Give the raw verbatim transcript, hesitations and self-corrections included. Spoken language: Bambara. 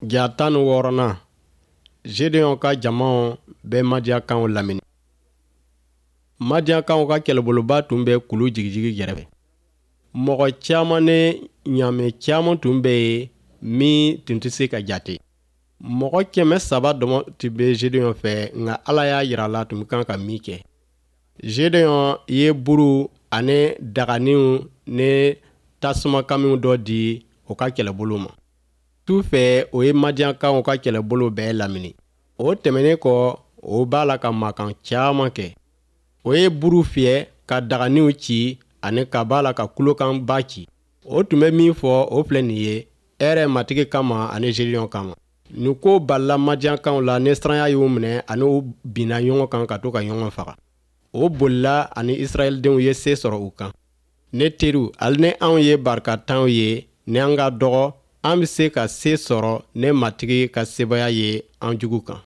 Ja tan ni wɔɔrɔnan, Zedeɔn ka jamaw bɛ Madiyankaw lamini. Madiyankaw ka kɛlɛboloba tun bɛ kulu jigijigi gɛrɛfɛ. Mɔgɔ caman ni ɲaamɛ caman tun bɛ yen min tun tɛ se ka jate. Mɔgɔ kɛmɛ saba dɔmɔ tun bɛ Zedeɔn fɛ, nka Ala y'a jira a la tun kan ka min kɛ. Zedeɔn ye buru ani daganinw ni tasumakamiw dɔ di o ka kɛlɛbolo ma. Su fɛ, o ye Madiyankaw ka kɛlɛbolo bɛɛ lamini. O tɛmɛnen kɔ, o b'a la ka mankan caman kɛ. O ye buru fiyɛ ka daganinw ci ani ka b'a la ka kulokanba ci. O tun bɛ min fɔ, o filɛ nin ye: hɛrɛ Matigi kama ani Zedeɔn kama. Nin ko balila Madiyankaw la ni siranya y'u minɛ ani u binna ɲɔgɔn kan ka to ka ɲɔgɔn faga. O bolila ani Israɛldenw ye se sɔrɔ u kan. Ne teriw, hali ni anw ye barikatanw ye, ni an ka dɔgɔ, an bɛ se ka se sɔrɔ ne Matigi ka sebaaya ye an jugu kan.